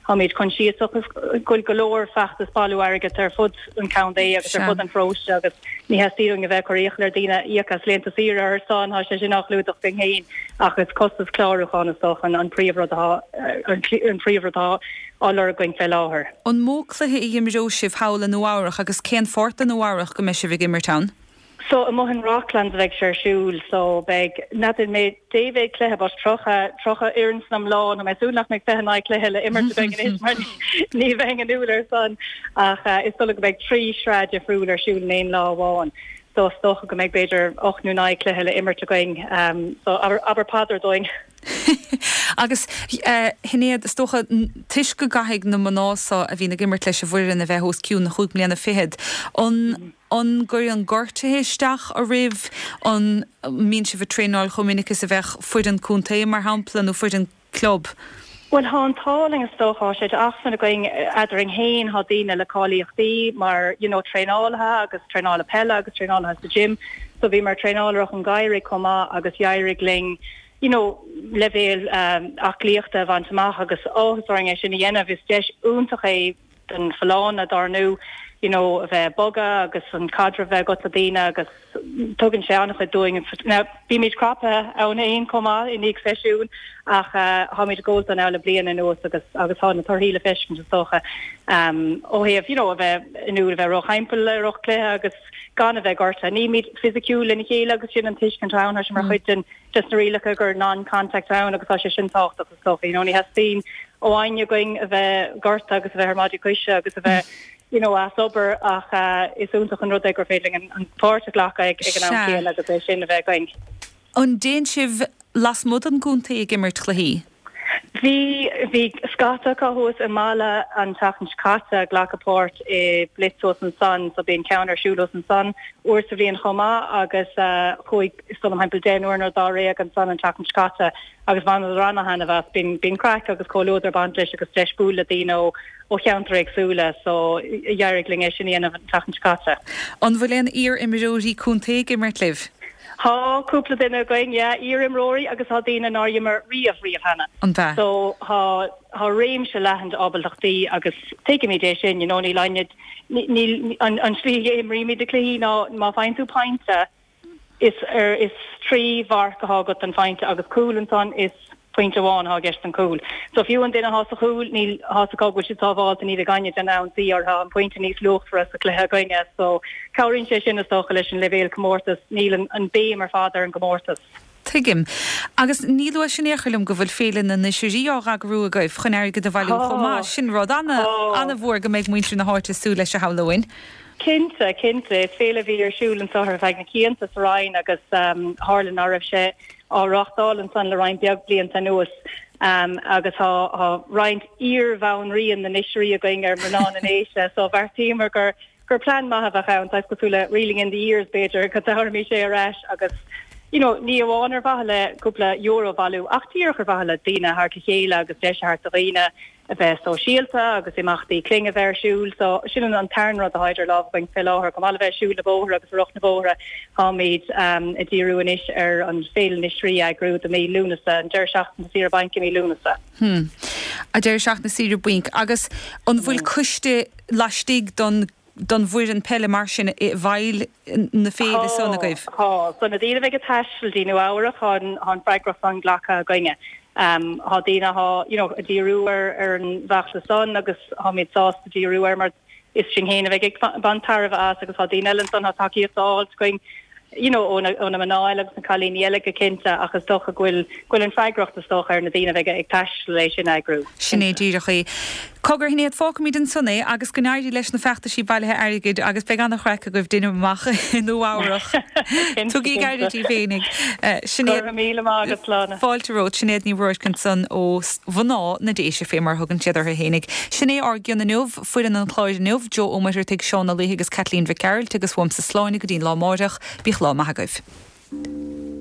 táimid coinsiasach go bhfuil go leor feachtas bailiú airgid ar fud an chontae agus ar fud an pharóiste agus ní theastaíonn uainn a bheith ag cur iachall ar daoine íoc as laethanta saoire ar ár son, tá sé sin á chlúdach againn féin ach is costas clárúcháin is dócha an príomhrud atá an príomhrud atá á lorg againn fé láthair.
An mó cluiche a imreoidh sibh thall i Nua Eabhrach agus cén pháirt de Nua Eabhrach go mbeidh sibh ag imirt ann?
So amuigh in Rocklands a bheidh sé ar siúl so beidh, n'fheadar mé dé mhéad cluiche but tríocha, tríocha fhoireann san iomlán, tá mé ag súil nach mbeidh fiche naoi cluiche le imirt againn anois mar ní bheinn inniúil ar son ach is dóigh go mbeidh trí shraith difriúil ar siúl in aon lá amháin so is dócha go mbeidh b'fhéidir ocht nó naoi cluiche le imirt againn so abair, abair paidir dúinn.
Agus a Shinéad, is dócha toisc go gcaithfidh na mná so a bhíonn ag imirt leis an bhfoireann a bheith os cionn na chúig mbliana fichead, an an gcuireann gortuithe isteach oraibh? An mbíonn sibh ag traenáil chomh minic is a bheadh foireann contae, mar shampla, nó foireann club?
Bhuel, thá an t-ádh linn is dócha, thá sé d'acmhainn againn eadrainn féin, thá daoine le cáilíochtaí mar you know traenálaithe agus traenálaithe peile agus traenálaithe sa gym, so bhíomar ag traenáil i rith an gheimhridh chomh maith agus d'éirigh linn you know leibhéal aclaíochta a bhaint amach agus áthas orainn é sin a dhéanamh. Is deis iontach é don folláine dár ndú you know a bheith ag bogadh agus an caidreamh a bheith agat le daoine agus tugann sé an-chuid dúinn. Now bímid craptha ann féin chomh maith i ndiaidh seisiún ach táimid ag gabháil dó now le bliain anuas agus agus tá na torthaí le feiscint is dócha um ó thaobh you know a bheith inniúil a bheith róthimpeall i rith cluiche agus gan a bheith gortaithe. Nílimid fisiciúil lena chéile agus sin an tuiscint ann, tá sé mar chuid den des na rialacha gur non-contact ann agus tá sé sin tábhachtach is dócha. You know, ní theastaíonn ó éinne againn a bheith gortaithe agus a bheith ar maidí coise agus a bheith you know, as obair ach uh, is iontach an rud é gur féidir linn an páirt a ghlacadh ag, ag an am céanna agus é sin a bheith againn.
An dtéann sibh lasmuigh den gcontae ag imirt cluichí?
Bhí bhí scata acu thuas i Mala an tseachtain seo caite ag glacadh páirt i blitz thuas ansan so bíonn ceann ar siúl thuas ansan uair sa bhliain chomh maith agus chuaigh is dóigh liom thimpeall deichniúr nó dáréag ansan an tseachtain seo caite agus bhaineadar ana-thaitneamh as. Bíonn bíonn craic agus comhluadar ag baint leis agus deis bualadh le daoine ó ó cheantair éagsúla so d'éirigh linn é sin a dhéanamh an tseachtain seo caite.
An bhfuil aon iar-imreoirí contae ag imirt libh?
Tá cúpla duine againn, yeah, iar-imreoirí agus tá daoine nár imir riamh, riamh cheana.
An ea?
So tá, tá réimse leathan d'ábaltachtaí agus tuigimid é sin, you know, níl éinne, níl, an, an tslí a imrímid na cluichí ná má faigheann tú pointe, is ar, is trí mharc atá agat don phointe agus cúl ansan is pointe amháin atá i gceist don chúl. So fiú an duine atá sa chúl, níl, tá 's acu go bhfuil siad sábháilte, ní bheidh éinne in ann ionsaí orthu, tá an pointe níos luachmhaire sa chluiche againne. So cabhraíonn sé sin is dócha leis an leibhéal comórtais, níl an, an béim ar fad ar an gcomórtas.
Tuigim. Agus ní luaigh sibh in aon chor liom go bhfuil Féile na nOisrí á eagrú agaibh chun airgead a bhailiú chomh maith. Sin rud ana, ana-mhór go mbeidh muintir na háite ag súil leis a shamhlóinn.
Cinnte, cinnte. Is féile a bhí ar siúl anso ar feadh na cianta sa Rinn agus tharla ná raibh sé á reáchtáil ansan le roinnt beag blianta anuas agus tá tá roinnt iar-bhanríon na nOisrí againn ar mná na nDéise so bheartaíomar gur gur plean maith a bheadh ann, saghas cosúil le reeling in the years b'fhéidir, go dtabharfaimis é ar ais agus you know ní amháin ar mhaithe le cúpla euro a bhailiú ach díreach ar mhaithe le daoine a thabhairt le chéile agus deis a thabhairt do dhaoine a bheith sóisialta agus imeachtaí clainne a bheith ar siúl. So sin an tarna rud atá idir lámha againn fé láthair, chomh maith le bheith ag siúl na bóithre agus ag rith na bóithre, táimid ag díriú anois ar an Féile na nOisrí a eagrú do mí Lúnasa, an deireadh seachtaine saoire bainc i mí Lúnasa.
Hmm. An deireadh seachtaine saoire bainc. Agus an bhfuil coiste laistigh don don bhfoireann peile mar sin i bhfeighil na féile san agaibh?
Tá, so na daoine a bheidh ag taisteal dtí Nua Eabhrac, tá an tá an freagracht san glactha againne. Tá daoine atá you know ag díriú ar ar an bhfeachtas san agus táimid sásta díriú air mar is sinn féin a bheidh ag baint tairbhe as agus tá daoine eile ansan tá tacaíocht á fháilt againn you know ó na ó na mná eile agus na cailíní eile go cinnte ach is dócha go bhfuil go bhfuil an freagracht is dócha ar na daoine a bheidh ag taisteal é sin a eagrú.
Sin é díreach é. Cogar, a Shinéad, fágfaimid ansan é agus go n-éirí leis na feachtaisí bailithe airgid agus beidh an-chraic agaibh déanaim amach i Nua Eabhrach. Tugaigí aire daoibh féinig.
Sinéad. Go raibh míle maith agat, Sláine.
Fáilte romhat. Sinéad Ní Ruairc ansan ó mhná na Déise fé mar a thugann siad orthu fhéinig. Sin é ár gcion inniu, foireann an chláir inniu, Joe Ó Muircheartaigh, Seán Ó Laoithe agus Caitlín Mhic Gearailt agus uaimse Sláine go dtí'n lá amáireach. Bíodh lá maith agaibh.